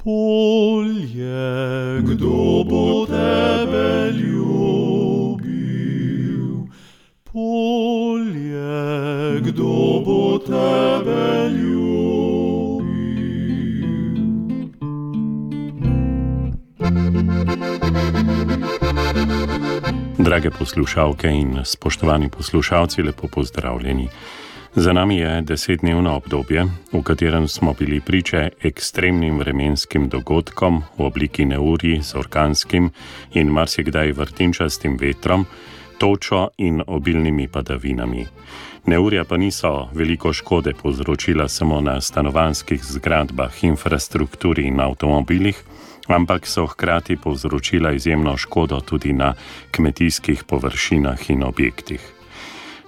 Polje, kdo bo tebe ljubil? Polje, kdo bo tebe ljubil? Drage poslušalke in spoštovani poslušalci, lepo pozdravljeni. Za nami je 10-dnevno obdobje, v katerem smo bili priče ekstremnim vremenskim dogodkom v obliki neurij z orkanskim in marsikdaj vrtinčastim vetrom, točo in obilnimi padavinami. Neurja pa niso veliko škode povzročila samo na stanovanjskih zgradbah, infrastrukturi in avtomobilih, ampak so hkrati povzročila izjemno škodo tudi na kmetijskih površinah in objektih.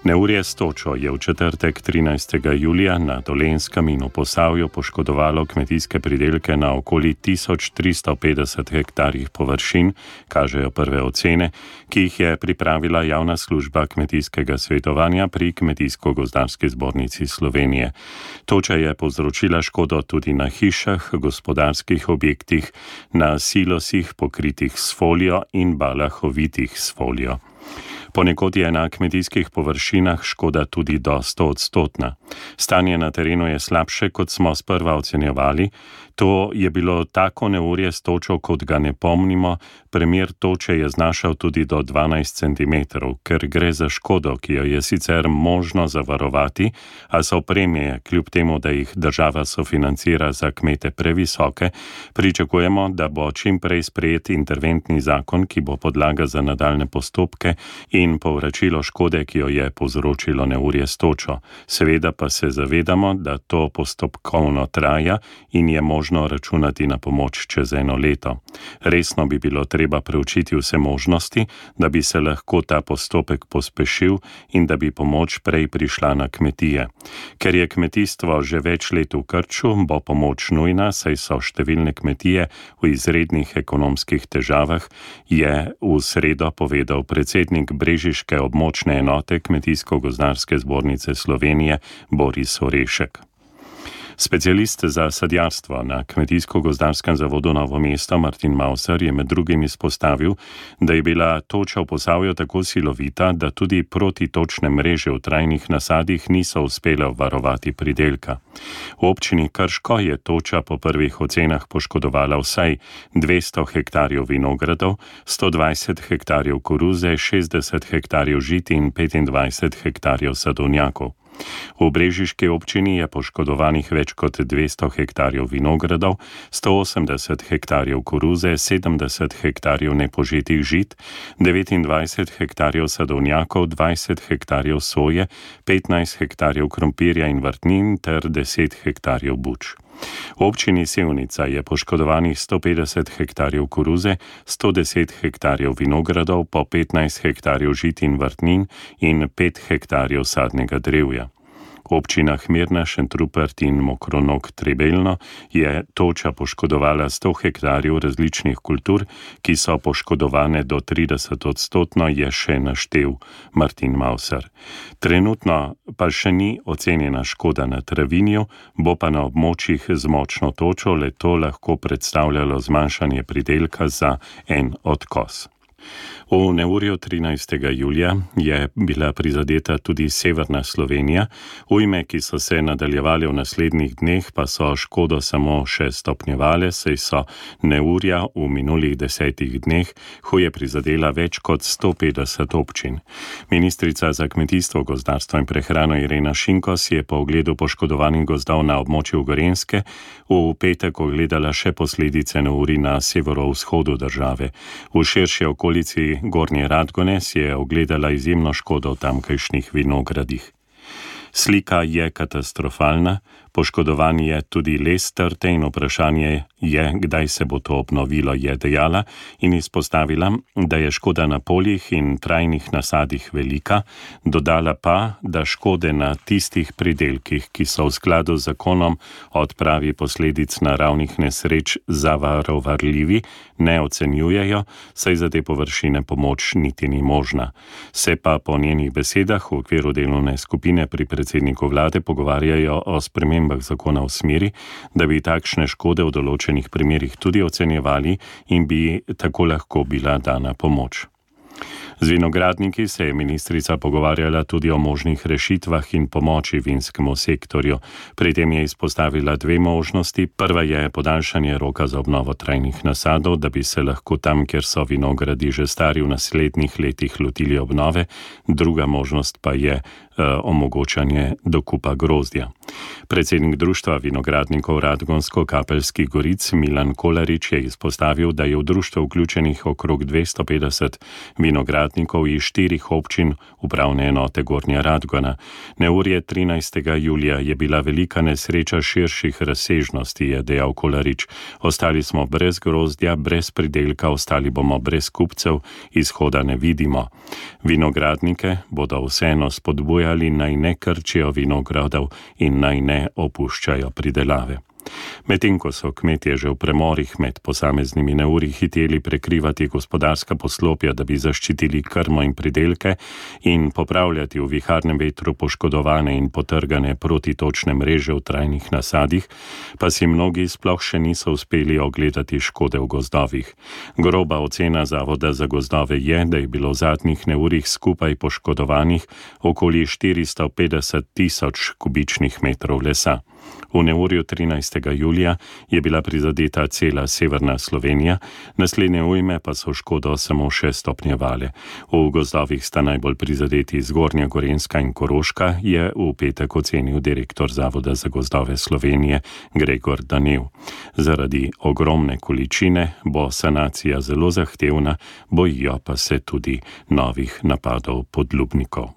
Neurje s točo je v četrtek 13. julija na Dolenjskem in v Posavju poškodovalo kmetijske pridelke na okoli 1350 hektarjih površin, kažejo prve ocene, ki jih je pripravila javna služba kmetijskega svetovanja pri Kmetijsko-gozdarski zbornici Slovenije. Toča je povzročila škodo tudi na hišah, gospodarskih objektih, na silosih pokritih s folijo in balah ovitih s folijo. Ponekod je na kmetijskih površinah škoda tudi do 100-odstotna. Stanje na terenu je slabše, kot smo sprva ocenjevali. To je bilo tako neurje s točo, kot ga ne pomnimo. Primer toče je znašal tudi do 12 cm, ker gre za škodo, ki jo je sicer možno zavarovati, a so premije, kljub temu, da jih država sofinancira za kmete previsoke, pričakujemo, da bo čim prej sprejet interventni zakon, ki bo podlaga za nadaljne postopke in povračilo škode, ki jo je povzročilo neurje s točo. Seveda pa se zavedamo, da to postopkovno traja in je možno računati na pomoč čez 1 leto. Resno bi bilo treba preučiti vse možnosti, da bi se lahko ta postopek pospešil in da bi pomoč prej prišla na kmetije. Ker je kmetijstvo že več let v krču, bo pomoč nujna, saj so številne kmetije v izrednih ekonomskih težavah, je v sredo povedal predsednik brežiške območne enote Kmetijsko-gozdarske zbornice Slovenije Boris Orešek. Specialist za sadjarstvo na Kmetijsko-gozdarskem zavodu Novo mesto Martin Mauser je med drugim izpostavil, da je bila toča v Posavju tako silovita, da tudi protitočne mreže v trajnih nasadih niso uspele obvarovati pridelka. V občini Krško je toča po prvih ocenah poškodovala vsaj 200 hektarjev vinogradov, 120 hektarjev koruze, 60 hektarjev žit in 25 hektarjev sadovnjakov. V brežiški občini je poškodovanih več kot 200 hektarjev vinogradov, 180 hektarjev koruze, 70 hektarjev nepožetih žit, 29 hektarjev sadovnjakov, 20 hektarjev soje, 15 hektarjev krompirja in vrtnin ter 10 hektarjev buč. V občini Sevnica je poškodovanih 150 hektarjev koruze, 110 hektarjev vinogradov, po 15 hektarjev žit in vrtnin in 5 hektarjev sadnega drevja. V občinah Mirna, Šentrupert in Mokronog Trebelno je toča poškodovala 100 hektarjev različnih kultur, ki so poškodovane do 30-odstotno, je še naštel Martin Mauser. Trenutno pa še ni ocenjena škoda na travinju, bo pa na območjih z močno točo le to lahko predstavljalo zmanjšanje pridelka za 1 odkos. V neurju 13. julija je bila prizadeta tudi severna Slovenija, ujme, ki so se nadaljevale v naslednjih dneh, pa so škodo samo še stopnjevale, saj so neurja v minulih 10 dneh huje prizadela več kot 150 občin. Ministrica za kmetijstvo, gozdarstvo in prehrano Irena Šinko si je po ogledu poškodovanih gozdov na območju Gorenjske v petek ogledala še posledice neurij na severovzhodu države. V širši okolici Gornje Radgone si je ogledala izjemno škodo v tamkajšnjih vinogradih. Slika je katastrofalna, poškodovan je tudi les trte in vprašanje je, kdaj se bo to obnovilo, je dejala in izpostavila, da je škoda na poljih in trajnih nasadih velika, dodala pa, da škode na tistih pridelkih, ki so v skladu z zakonom o odpravi posledic naravnih nesreč zavarovaljivi, ne ocenjujejo, saj za te površine pomoč niti ni možna. Se pa po njenih besedah v okviru delovne skupine pri predsedniku vlade pogovarjajo o spremembah spremembah zakona v smeri, da bi takšne škode v določenih primerih tudi ocenjevali in bi tako lahko bila dana pomoč. Z vinogradniki se je ministrica pogovarjala tudi o možnih rešitvah in pomoči vinskemu sektorju. Pri tem je izpostavila dve možnosti. Prva je podaljšanje roka za obnovo trajnih nasadov, da bi se lahko tam, kjer so vinogradi že stari, v naslednjih letih lotili obnove. Druga možnost pa je omogočanje dokupa grozdja. Predsednik Društva vinogradnikov Radgonsko-Kapelskih goric Milan Kolarič je izpostavil, da je v društvo vključenih okrog 250 vinogradnikov iz 4 občin upravne enote Gornja Radgona. Neurje 13. julija je bila velika nesreča širših razsežnosti, je dejal Kolarič. Ostali smo brez grozdja, brez pridelka, ostali bomo brez kupcev, izhoda ne vidimo. Vinogradnike bodo vseeno spodbujali, naj ne krčijo vinogradov in naj ne opuščajo pridelave. Medtem ko so kmetje že v premorih med posameznimi neurji hiteli prekrivati gospodarska poslopja, da bi zaščitili krmo in pridelke in popravljati v viharnem vetru poškodovane in potrgane protitočne mreže v trajnih nasadih, pa si mnogi sploh še niso uspeli ogledati škode v gozdovih. Groba ocena Zavoda za gozdove je, da je bilo v zadnjih neurjih skupaj poškodovanih okoli 450 tisoč kubičnih metrov lesa. V neurju 13. julija je bila prizadeta cela severna Slovenija, naslednje ujme pa so škodo samo še stopnjevale. V gozdovih sta najbolj prizadeti Zgornja Gorenjska in Koroška, je v petek ocenil direktor Zavoda za gozdove Slovenije Gregor Danev. Zaradi ogromne količine bo sanacija zelo zahtevna, bojijo pa se tudi novih napadov podlubnikov.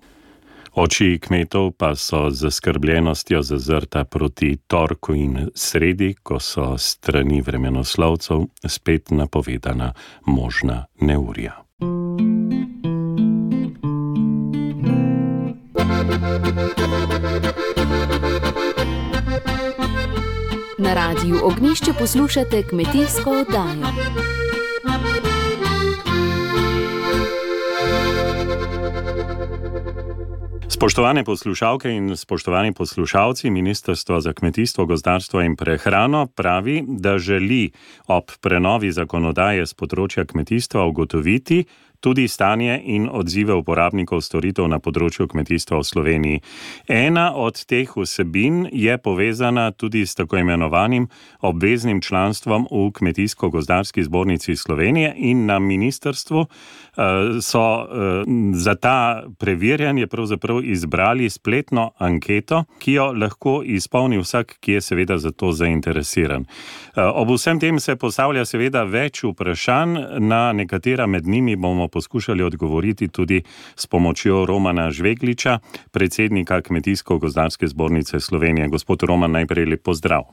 Oči kmetov pa so z zaskrbljenostjo zazrta proti torku in sredi, ko so strani vremenoslovcev spet napovedana možna neurja. Na Radiu Ognjišče poslušate kmetijsko oddajo. Spoštovane poslušalke in spoštovani poslušalci, Ministrstvo za kmetijstvo, gozdarstvo in prehrano pravi, da želi ob prenovi zakonodaje z področja kmetijstva ugotoviti tudi stanje in odzive uporabnikov storitev na področju kmetijstva v Sloveniji. Ena od teh vsebin je povezana tudi s tako imenovanim obveznim članstvom v Kmetijsko-gozdarski zbornici Slovenije in na ministrstvu so za ta preverjanje pravzaprav izbrali spletno anketo, ki jo lahko izpolni vsak, ki je seveda za to zainteresiran. Ob vsem tem se postavlja seveda več vprašanj, na nekatera med njimi bomo poskušali odgovoriti tudi s pomočjo Romana Žvegliča, predsednika Kmetijsko-gozdarske zbornice Slovenije. Gospod Roman, najprej lep pozdrav.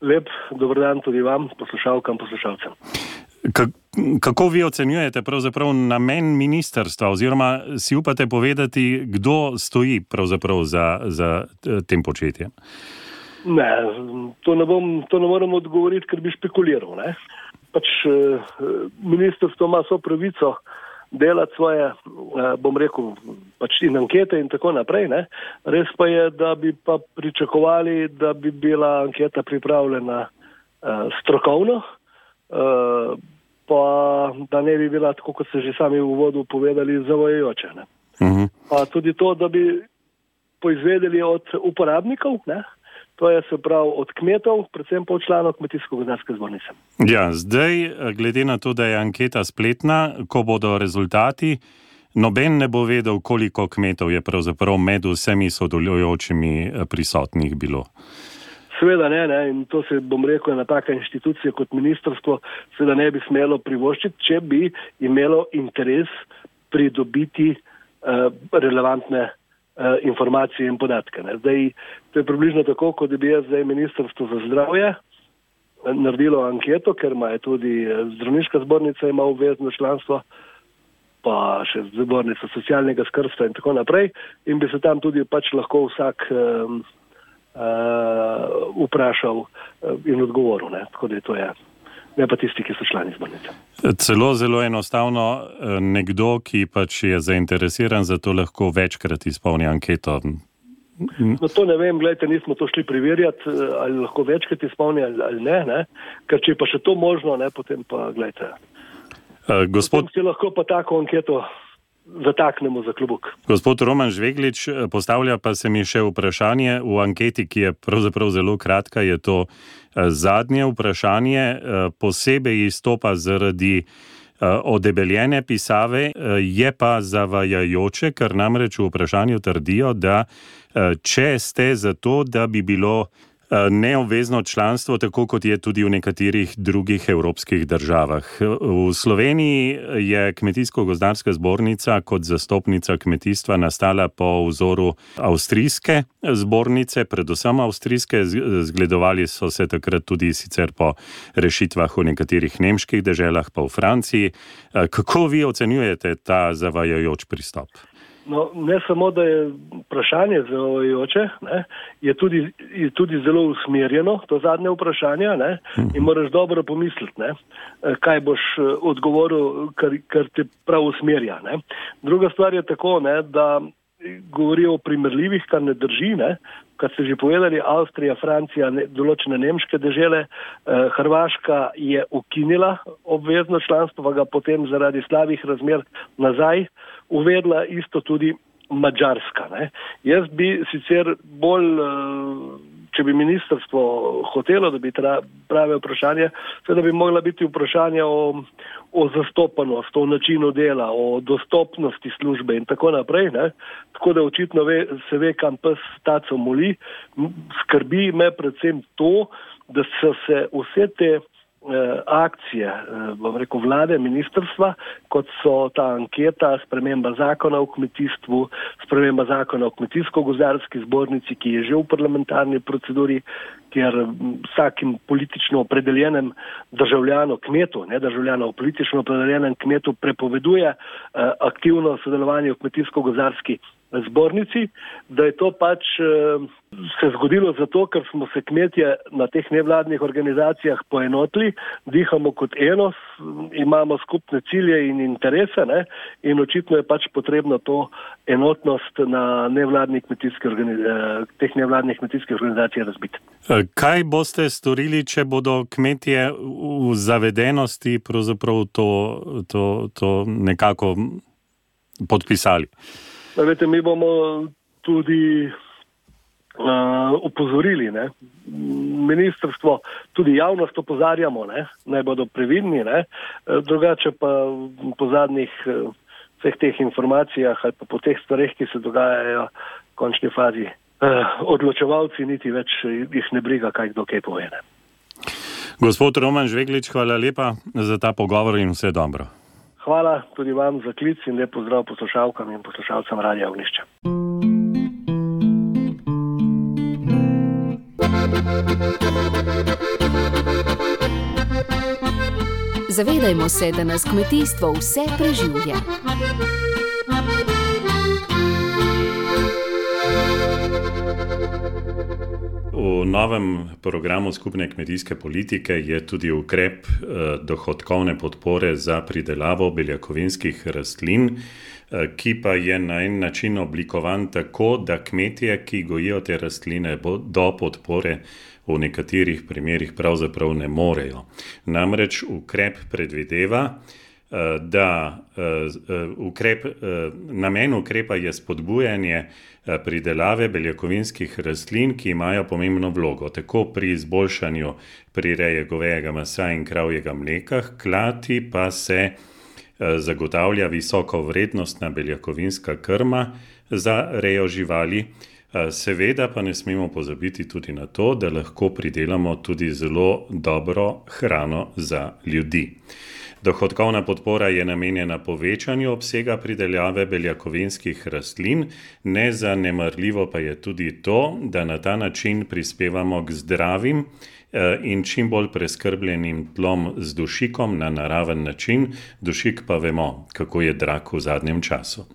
Lep dober dan tudi vam, poslušalkam, poslušalcem. Kako vi ocenjujete pravzaprav namen ministrstva, oziroma si upate povedati, kdo stoji pravzaprav za tem početjem? Ne, to ne moram odgovoriti, ker bi špekuliral. Ne? Ministrstvo ima vso pravico delati svoje, bom rekel, in ankete in tako naprej. Ne? Res pa je, da bi pa pričakovali, da bi bila anketa pripravljena strokovno, pa da ne bi bila, tako kot ste že sami v uvodu povedali, zavajajoča. Ne? Uh-huh. Pa tudi to, da bi poizvedeli od uporabnikov, ne? To je se prav od kmetov, predvsem pa od članov Kmetijsko-gozdarske zbornice. Ja, zdaj, glede na to, da je anketa spletna, ko bodo rezultati, noben ne bo vedel, koliko kmetov je pravzaprav med vsemi sodelujočimi prisotnih bilo. Seveda ne, in to se, bom rekel, ena taka inštitucija kot ministrstvo seveda ne bi smelo privoščiti, če bi imelo interes pridobiti relevantne informacije in podatke. Ne. Zdaj, to je približno tako, kot bi jaz zdaj Ministrstvo za zdravje naredilo anketo, ker ima tudi zdravniška zbornica ima obvezno članstvo, pa še zbornica socialnega skrbstva in tako naprej, in bi se tam tudi lahko vsak vprašal in odgovoril. Ne. Tako da to je. Ne pa tisti, ki so člani zbornice. Celo zelo enostavno, nekdo, ki je zainteresiran za to, lahko večkrat izpolni anketo. No to ne vem, gledajte, nismo to šli preverjati, ali lahko večkrat izpolni ali ne, ker če je pa še to možno, ne, potem pa, gledajte, potem si lahko pa tako anketo zataknemo za klobuk. Gospod Roman Žveglič, postavlja pa se mi še vprašanje v anketi, ki je pravzaprav zelo kratka, je to zadnje vprašanje, posebej izstopa zaradi odebeljene pisave, je pa zavajajoče, ker namreč v vprašanju trdijo, da če ste za to, da bi bilo neobvezno članstvo, tako kot je tudi v nekaterih drugih evropskih državah. V Sloveniji je Kmetijsko-gozdarska zbornica kot zastopnica kmetijstva nastala po vzoru avstrijske zbornice, predvsem avstrijske, zgledovali so se takrat tudi sicer po rešitvah v nekaterih nemških deželah, pa v Franciji. Kako vi ocenjujete ta zavajajoč pristop? No, ne samo, da je vprašanje zavajajoče, je tudi zelo usmerjeno, to zadnje vprašanje, ne, in moraš dobro pomisliti, ne, kaj boš odgovoril, kar te prav usmerja. Ne. Druga stvar je tako, ne, da govorijo o primerljivih, kar ne drži, ne, kar ste že povedali, Avstrija, Francija, določene nemške dežele, Hrvaška je ukinila obvezno članstvo, pa ga potem zaradi slabih razmer nazaj uvedla, isto tudi Madžarska. Ne. Jaz bi sicer bolj, če bi ministrstvo hotelo, da bi prave vprašanje, seveda bi mogla biti vprašanje o zastopanosti, o načinu dela, o dostopnosti službe in tako naprej. Ne. Tako da očitno se ve, kam pes taco moli. Skrbi me predvsem to, da so se vse te akcije, bom rekel, vlade, ministrstva, kot so ta anketa, sprememba zakona o kmetijstvu, sprememba zakona o kmetijsko-gozdarski zbornici, ki je že v parlamentarni proceduri, kjer vsakim politično opredeljenem državljanu, kmetu, ne državljanu, politično opredeljenem kmetu prepoveduje aktivno sodelovanje v kmetijsko-gozdarski zbornici, da je to pač se zgodilo zato, ker smo se kmetje na teh nevladnih organizacijah poenotili, dihamo kot eno, imamo skupne cilje in interese, ne, in očitno je pač potrebno to enotnost na teh nevladnih kmetijskih organizacijah razbiti. Kaj boste storili, če bodo kmetje v zavedenosti pravzaprav to nekako podpisali? Vete, mi bomo tudi upozorili, ne. Ministrstvo, tudi javnost opozarjamo, ne, naj bodo previdni, ne. Drugače pa po zadnjih vseh teh informacijah ali pa po teh stvareh, ki se dogajajo v končni fazi, odločevalci niti več jih ne briga, kaj kdo kaj pove. Ne. Gospod Roman Žveglič, hvala lepa za ta pogovor in vse dobro. Hvala tudi vam za klic in lep pozdrav poslušalkam in poslušalcem Radia Ognjišče. Zavedajmo se, da nas kmetijstvo vse preživlja. V novem programu skupne kmetijske politike je tudi ukrep dohodkovne podpore za pridelavo beljakovinskih rastlin, ki pa je na en način oblikovan tako, da kmetje, ki gojijo te rastline, do podpore v nekaterih primerih pravzaprav ne morejo. Namreč ukrep predvideva, da namen ukrepa je spodbujanje pridelave beljakovinskih rastlin, ki imajo pomembno vlogo, tako pri izboljšanju prireje govejega mesa in kravjega mleka, hkrati pa se zagotavlja visoko vrednostna beljakovinska krma za rejo živali. Seveda pa ne smemo pozabiti tudi na to, da lahko pridelamo tudi zelo dobro hrano za ljudi. Dohodkovna podpora je namenjena povečanju obsega pridelave beljakovinskih rastlin, nezanemarljivo pa je tudi to, da na ta način prispevamo k zdravim in čim bolj preskrbljenim tlom z dušikom na naraven način. Dušik pa vemo, kako je drag v zadnjem času.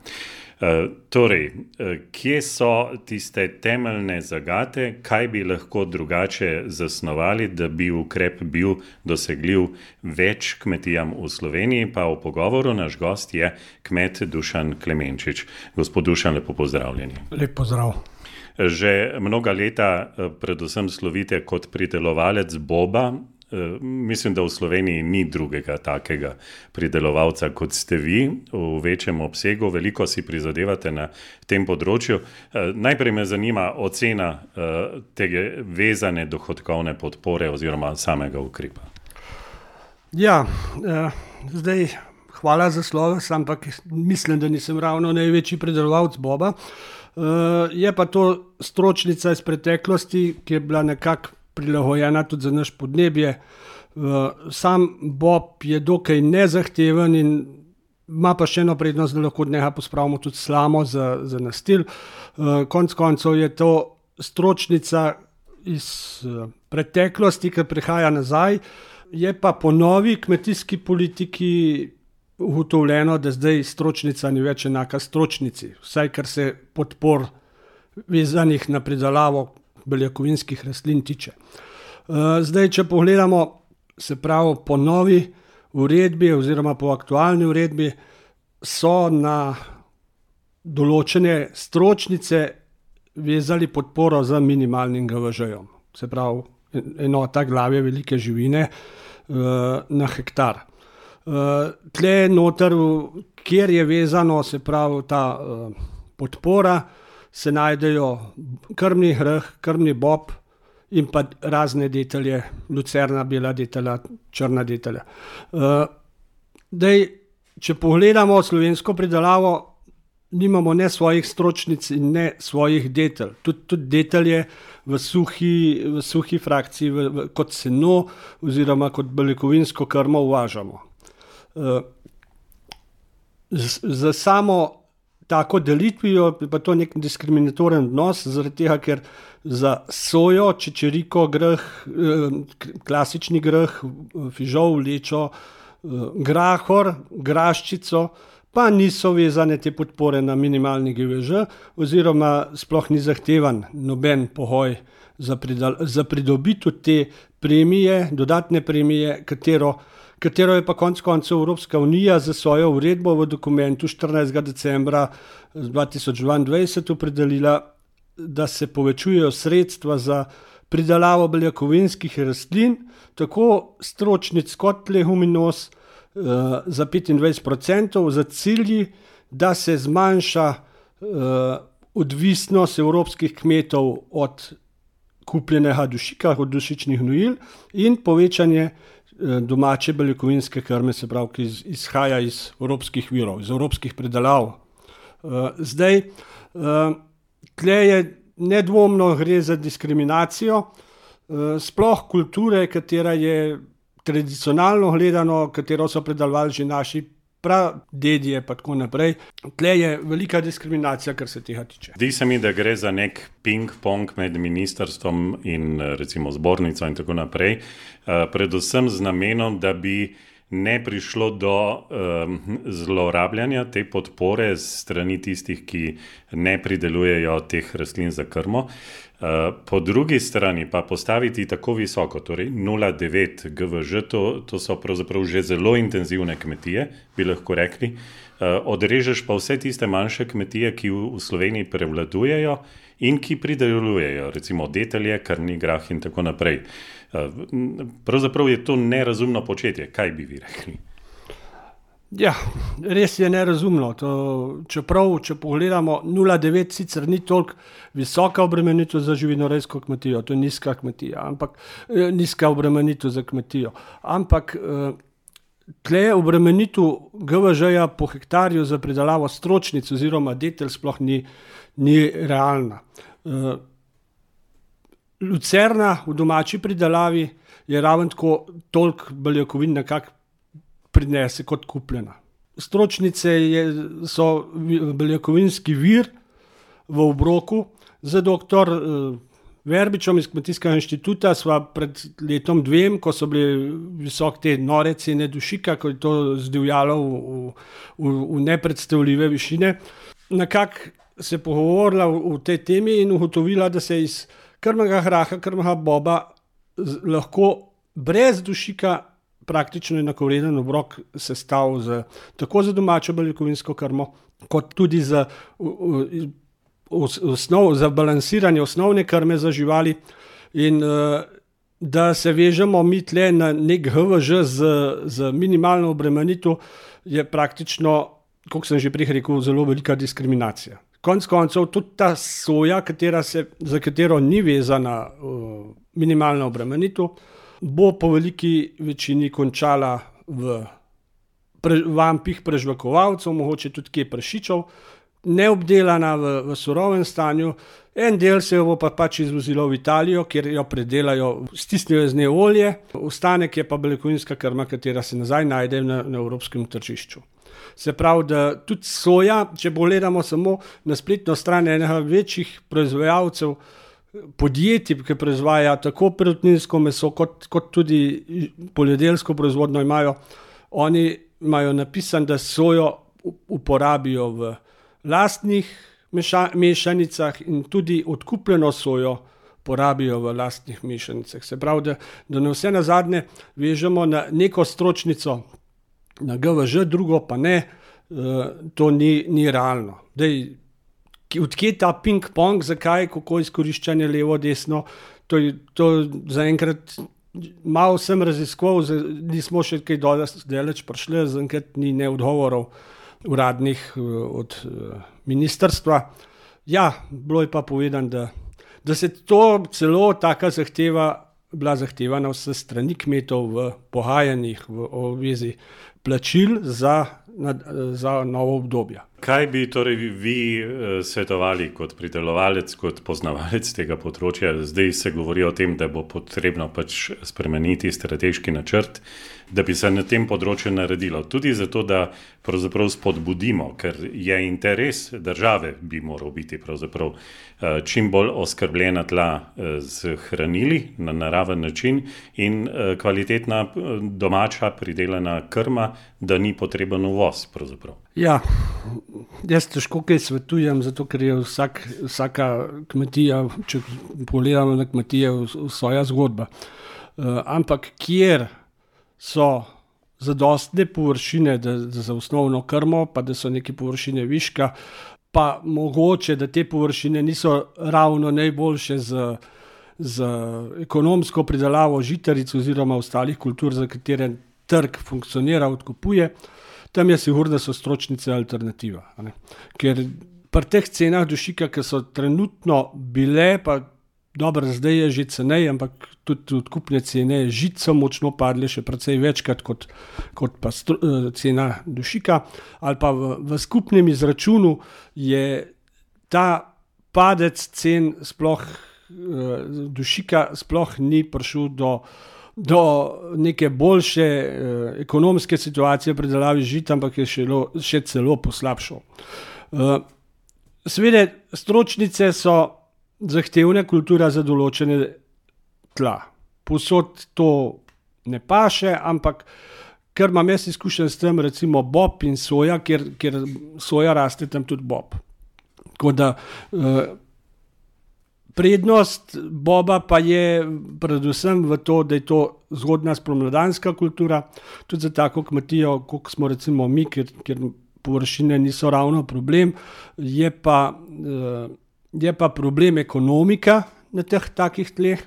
Torej, kje so tiste temeljne zagate, kaj bi lahko drugače zasnovali, da bi ukrep bil dosegljiv več kmetijam v Sloveniji, pa v pogovoru naš gost je kmet Dušan Klemenčič. Gospod Dušan, lepo pozdravljeni. Lep pozdrav. Že mnoga leta predvsem slovite kot pridelovalec boba. Mislim, da v Sloveniji ni drugega takega pridelovalca, kot ste vi, v večjem obsegu. Veliko si prizadevate na tem področju. Najprej me zanima ocena tega vezane dohodkovne podpore oziroma samega ukrepa. Ja, zdaj hvala za sloves, ampak mislim, da nisem ravno največji pridelovalec boba. Je pa to stročnica iz preteklosti, ki je bila nekako prilagojena tudi za naš podnebje. Sam bob je dokaj nezahteven in ima pa še eno prednost, da lahko od njega pospravimo tudi slamo za nastil. Konec koncev je to stročnica iz preteklosti, ki prihaja nazaj. Je pa po novi kmetijski politiki ugotovljeno, da zdaj stročnica ni več enaka stročnici, vsaj kar se podpor vezanih na pridelavo beljakovinskih rastlin tiče. Zdaj, če pogledamo, se pravi po novi uredbi oziroma po aktualni uredbi, so na določene stročnice vezali podporo z minimalnim GVŽ-jem. Se pravi, enota glave velike živine na hektar. Tle noter, kjer je vezano, se pravi ta podpora, se najdejo krmni greh, krmni bob in pa razne detelje, lucerna, bela detelja, črna detelja. Če pogledamo slovensko pridelavo, nimamo ne svojih stročnic in ne svojih detelj. Tudi detelje v suhi frakciji, kot seno oziroma kot beljakovinsko krmo uvažamo. Za samo tako delitvijo je pa to nek diskriminatoren odnos, zaradi tega, ker za sojo, čičeriko, greh, klasični greh, fižol, lečo, grahor, graščico, pa niso vezane te podpore na minimalni GVŽ oziroma sploh ni zahtevan noben pogoj za pridobitev te premije, dodatne premije, katero je pa konec koncev Evropska unija za svojo uredbo v dokumentu 14. decembra 2022 opredelila, da se povečujejo sredstva za pridelavo beljakovinskih rastlin, tako stročnic kot leguminos za 25%, za cilji, da se zmanjša odvisnost evropskih kmetov od kupljenega dušika, od dušičnih gnojil in povečanje domače beljakovinske krme, se pravi, ki izhaja iz evropskih virov, iz evropskih pridelav. Zdaj, tle je nedvomno gre za diskriminacijo, sploh kulture, katera je tradicionalno gledano, katero so pridelovali že naši pradedje pa tako naprej. Tle je velika diskriminacija, kar se tega tiče. Zdi se mi, da gre za nek ping-pong med ministrstvom in recimo zbornico in tako naprej, predvsem z namenom, da bi ne prišlo do zlorabljanja te podpore strani tistih, ki ne pridelujejo teh rastlin za krmo. Po drugi strani pa postaviti tako visoko, torej 0,9 GVŽ, to so pravzaprav že zelo intenzivne kmetije, bi lahko rekli. Odrežeš pa vse tiste manjše kmetije, ki v Sloveniji prevladujejo in ki pridelujejo, recimo detelje, krmni grah in tako naprej. Pravzaprav je to nerazumno početje, kaj bi vi rekli? Ja, res je nerazumno. Čeprav, če pogledamo, 0,9 sicer ni toliko visoka obremenitev za živinorejsko kmetijo, to je nizka kmetija, nizka obremenitev za kmetijo. Ampak tle obremenitev GVŽ-ja po hektarju za pridelavo stročnic oziroma detelj sploh ni realna. Lucerna v domači pridelavi je raven tako toliko beljakovin nekako prinese kot kupljena. Stročnice so beljakovinski vir v obroku. Za doktor Verbičem iz Kmetijskega inštituta sva pred letom 2, ko so bili visok te nore cene dušika, ko je to zdivjalo v nepredstavljive višine, nekako se pogovorila v tej temi in ugotovila, da se iz krmnega graha, krmnega boba lahko brez dušika praktično enakovreden obrok sestavil tako za domačo beljakovinsko krmo, kot tudi za za balansiranje osnovne krme za živali in da se vežemo mi tle na nek HVŽ z minimalno obremenitev, je praktično, kot sem že prej rekel, zelo velika diskriminacija. Konec koncev tudi ta soja, za katero ni vezana minimalna obremenitev, bo po veliki večini končala v vampih prežvekovalcev, mogoče tudi kje prašičev, neobdelana v surovem stanju. En del se jo bo pač izvozilo v Italijo, kjer jo predelajo, stisnejo iz nje olje, ostanek je pa beljakovinska krma, katera se nazaj najde na evropskem tržišču. Se pravi, da tudi soja, če pogledamo samo na spletno stran enega večjih proizvajalcev, podjetij, ki proizvaja tako perutninsko meso, kot tudi poljedelsko proizvodnjo imajo, oni imajo napisan, da sojo uporabijo v lastnih mešanicah in tudi odkupljeno sojo porabijo v lastnih mešanicah. Se pravi, da na vse nazadnje vežemo na neko stročnico, na GVŽ, drugo pa ne, to ni realno. Odkje ta ping-pong, zakaj, kako izkoriščanje levo, desno, to zaenkrat malo sem raziskoval, nismo še kaj daleč prišli, zaenkrat ni ne odgovorov uradnih od ministrstva. Ja, bilo je pa povedano, da se to celo taka bila zahtevana vse strani kmetov v pogajanjih v obvezi plačil za novo obdobje. Kaj bi torej vi svetovali kot pridelovalec, kot poznavalec tega področja? Zdaj se govori o tem, da bo potrebno pač spremeniti strateški načrt, da bi se na tem področju naredilo. Tudi zato, da pravzaprav spodbudimo, ker je interes države bi moral biti pravzaprav čim bolj oskrbljena tla z hranili na naraven način in kvalitetna domača pridelana krma, da ni potreben uvoz pravzaprav. Ja, jaz težko kaj svetujem, zato ker je vsaka kmetija, če pogledamo na kmetije, svoja zgodba. Ampak kjer so zadostne površine za osnovno krmo, pa da so neke površine viška, pa mogoče, da te površine niso ravno najboljše z ekonomsko pridelavo žitaric oziroma ostalih kultur, za katere trg funkcionira, odkupuje, tam je sigurno, da so stročnice alternativa. Ker pri teh cenah dušika, ki so trenutno bile, pa dobro, zdaj je že cenej, ampak tudi odkupne cene žit so močno padle, še precej večkrat kot pa cena dušika, ali pa v skupnem izračunu je ta padec cen sploh dušika sploh ni prišel do neke boljše ekonomske situacije pri predelavi žit, ampak je še celo poslabšal. Seveda, stročnice so zahtevna kultura za določene tla. Povsod to ne paše, ampak ker imam jaz izkušen s tem, recimo bob in soja, ker soja raste tam tudi bob. Tako da prednost boba pa je predvsem v to, da je to zgodna spomladanska kultura, tudi za tako kmetijo, kot smo recimo mi, ker površine niso ravno problem, je pa problem ekonomika na teh takih tleh.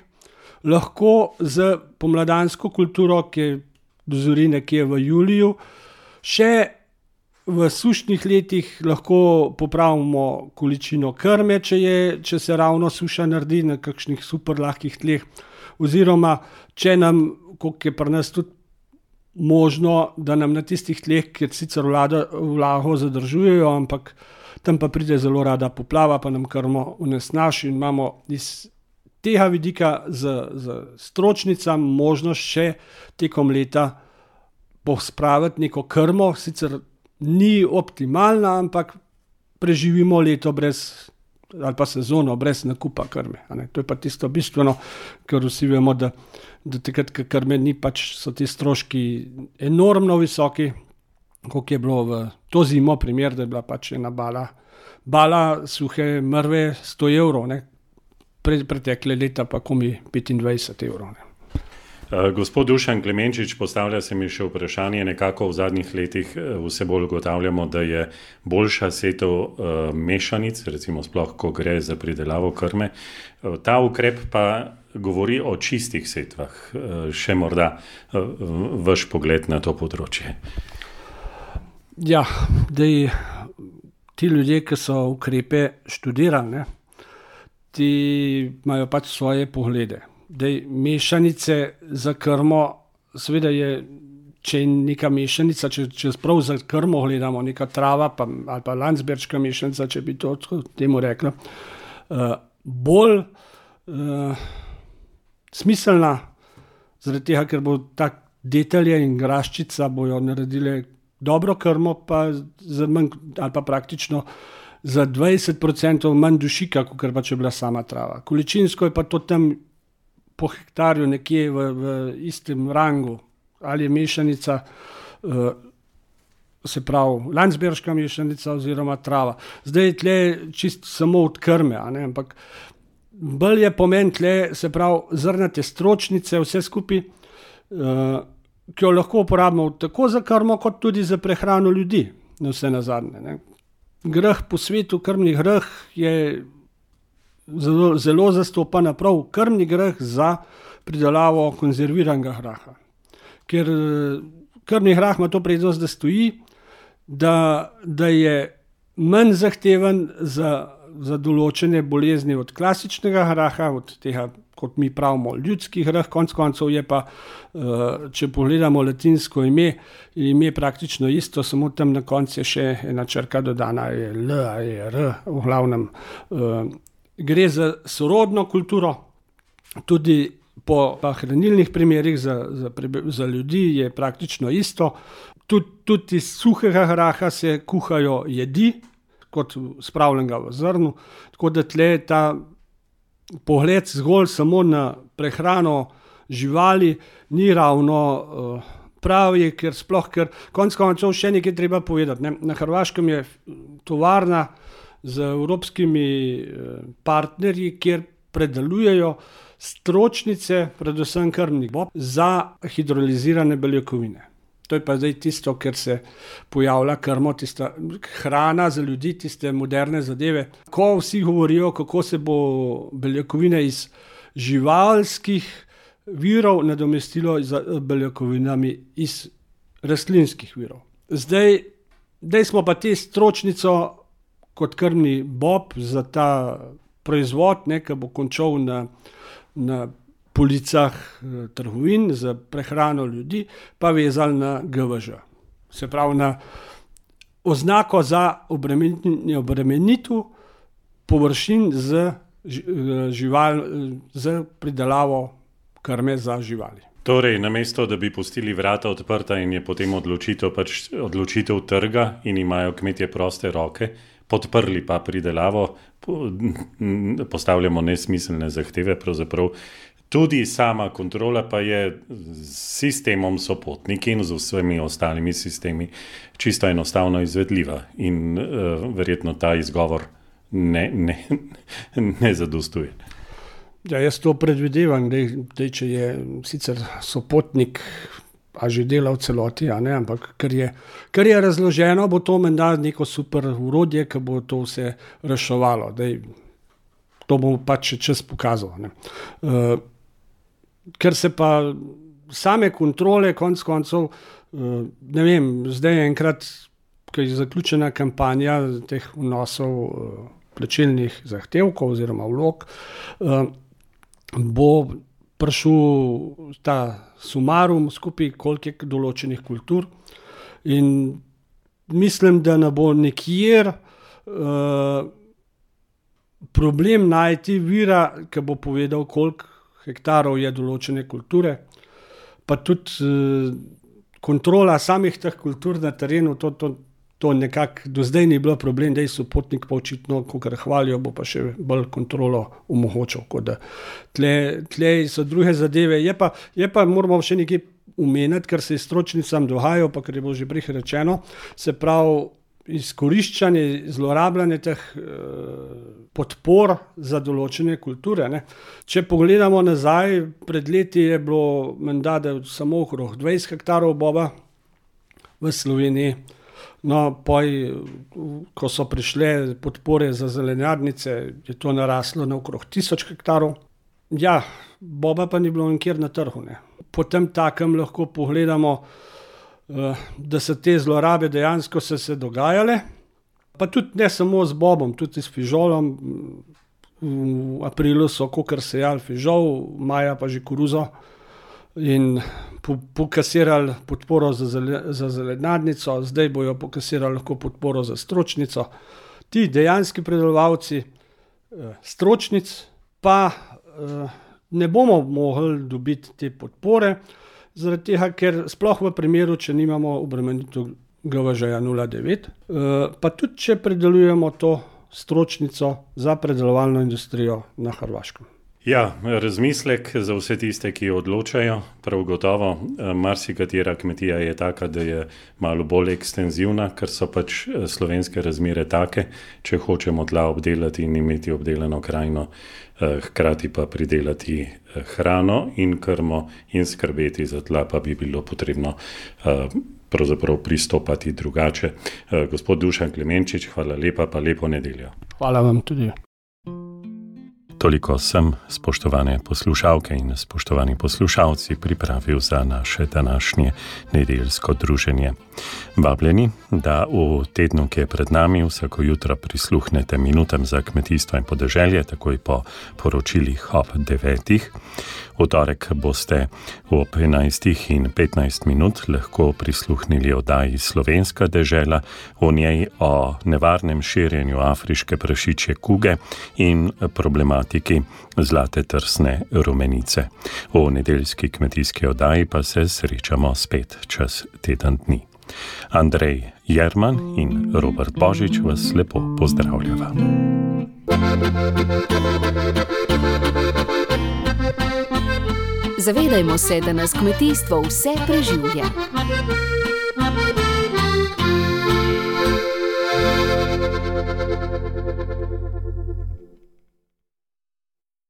Lahko z pomladansko kulturo, ki dozori nekje v juliju, še v sušnih letih lahko popravimo količino krme, če se ravno suša naredi na kakšnih super lahkih tleh, oziroma če nam, kot je pri nas tudi možno, da nam na tistih tleh, kjer sicer vlago zadržujejo, ampak tam pa pride zelo rada poplava, pa nam krmo onesnaži in imamo iz tega vidika z stročnicam možnost še tekom leta pospraviti neko krmo, sicer ni optimalna, ampak preživimo leto ali pa sezono brez nakupa krme. To je pa tisto bistveno, ker vsi vemo, da takrat, ko krme ni, pač so ti stroški enormno visoki, kot je bilo v to zimo primer, da je bila pač ena bala suhe mrve 100 evrov, pretekle leta pa komi 25 evrov. Gospod Dušan Klemenčič, postavlja se mi še vprašanje, nekako v zadnjih letih vse bolj ugotavljamo, da je boljša setev mešanic, recimo sploh, ko gre za pridelavo krme. Ta ukrep pa govori o čistih setvah. Še morda vaš pogled na to področje. Ja, ti ljudje, ki so ukrepe študirali, ti imajo pač svoje poglede. Mešanice za krmo, seveda je, če je neka mešanica, če sprav za krmo gledamo, neka trava ali pa landsberška mešanica, če bi to temu rekla, bolj smiselna, zaradi tega, ker bo tak detelje in graščica bojo naredile dobro krmo, pa za manj, ali pa praktično za 20% manj dušika, kot pa če bila sama trava. Količinsko je pa to tam po hektarju nekje v istem rangu, ali je mešanica, se pravi landsberška mešanica oziroma trava. Zdaj je tle čisto samo od krme, ampak bolj je pomen tle, se pravi zrnate stročnice, vse skupaj, ki jo lahko uporabimo tako za krmo, kot tudi za prehrano ljudi, na vse nazadnje. Greh po svetu, krmni greh je zelo zastopan prav krmni greh za pridelavo konzerviranega graha. Ker krmni grah ima to prednost, da stoji, da je manj zahteven za določene bolezni od klasičnega graha, od tega, kot mi pravimo, ljudski grah, konec koncev je pa, če pogledamo latinsko ime, je praktično isto, samo tam na koncu je še ena črka dodana, je L, je R, v glavnem. Gre za sorodno kulturo, tudi po hranilnih primerih za ljudi je praktično isto. Tudi iz suhega graha se kuhajo jedi, kot spravljenega v zrnu, tako da tle ta pogled zgolj samo na prehrano živali ni ravno pravi, ker konec koncev še nekaj treba povedati. Na Hrvaškem je tovarna z evropskimi partnerji, kjer predelujejo stročnice, predvsem krmnih bob, za hidrolizirane beljakovine. To je pa zdaj tisto, ker se pojavlja krmo, tista hrana za ljudi, tiste moderne zadeve. Ko vsi govorijo, kako se bo beljakovine iz živalskih virov nadomestilo z beljakovinami iz rastlinskih virov. Zdaj smo pa te stročnico kot krmni bob za ta proizvod, ki bo končal na policah trgovin za prehrano ljudi, pa vezali na GVŽ. Se pravi na oznako za obremenitev površin z pridelavo krme za živali. Torej, namesto da bi pustili vrata odprta in je potem odločitev trga in imajo kmetje proste roke, podprli pa pridelavo, postavljamo nesmiselne zahteve, pravzaprav tudi sama kontrola pa je s sistemom sopotnik in z vsemi ostalimi sistemi čisto enostavno izvedljiva in verjetno ta izgovor ne zadostuje. Ja, jaz to predvidevam, da če je sicer sopotnik, a že dela v celoti, ampak ker je razloženo, bo to menda neko super urodje, ki bo to vse reševalo. To bo pač čas pokazal. Ker se pa same kontrole, konec koncev, ne vem, zdaj enkrat, ko je zaključena kampanja teh vnosov plačilnih zahtevkov oziroma vlog, bo prišel ta sumarum skupaj koliko določenih kultur in mislim, da ne bo nikjer problem najti vira, ki bo povedal, koliko hektarov je določene kulture, pa tudi kontrola samih teh kultur na terenu, to nekako do zdaj ni bilo problem, da je sopotnik pa očitno, kakor hvalijo, bo pa še bolj kontrolo omogočal. Tle so druge zadeve, je pa moramo še nekaj omeniti, kar se je stročnicam dogajajo, pa kar je bilo že prej rečeno, se pravi, izkoriščanje, zlorabljanje teh podpor za določene kulture. Ne. Če pogledamo nazaj, pred leti je bilo menda, da je samo okrog 20 hektarov boba v Sloveniji. No, ko so prišle podpore za zelenjadnice, je to naraslo na okrog 1000 hektarov. Ja, boba pa ni bilo nikjer na trgu. Ne. Potem takem lahko pogledamo, da so te zlorabe dejansko se dogajale, pa tudi ne samo z bobom, tudi s fižolom. V aprilu so kakor sejali fižol, maja pa že koruzo in pokasirali podporo za zelenjadnico, zdaj bojo pokasirali lahko podporo za stročnico. Ti dejanski predelovalci stročnic pa ne bomo mogli dobiti te podpore, zaradi tega, ker sploh v primeru, če nimamo obremenitev GVŽ 0,9, pa tudi, če predelujemo to stročnico za predelovalno industrijo na Hrvaškem. Ja, razmislek za vse tiste, ki odločajo, prav gotovo. Marsikatera kmetija je taka, da je malo bolj ekstenzivna, ker so pač slovenske razmere take, če hočemo tla obdelati in imeti obdelano krajino, hkrati pa pridelati hrano in krmo in skrbeti za tla, pa bi bilo potrebno pravzaprav pristopati drugače. Gospod Dušan Klemenčič, hvala lepa, pa lepo nedeljo. Hvala vam tudi. Toliko sem, spoštovane poslušalke in spoštovani poslušalci, pripravil za naše današnje nedeljsko druženje. Vabljeni, da v tednu, ki je pred nami, vsako jutro prisluhnete minutam za kmetijstvo in podeželje, takoj po poročilih ob 9. V torek boste ob 11:15 lahko prisluhnili oddaji Slovenska dežela, v njej o nevarnem širjenju afriške prašičje kuge in problematiki zlate trsne rumenice. V nedeljski kmetijski oddaji pa se srečamo spet čez teden dni. Andrej Jerman in Robert Božič vas lepo pozdravljava. Zavedajmo se, da nas kmetijstvo vse preživlja.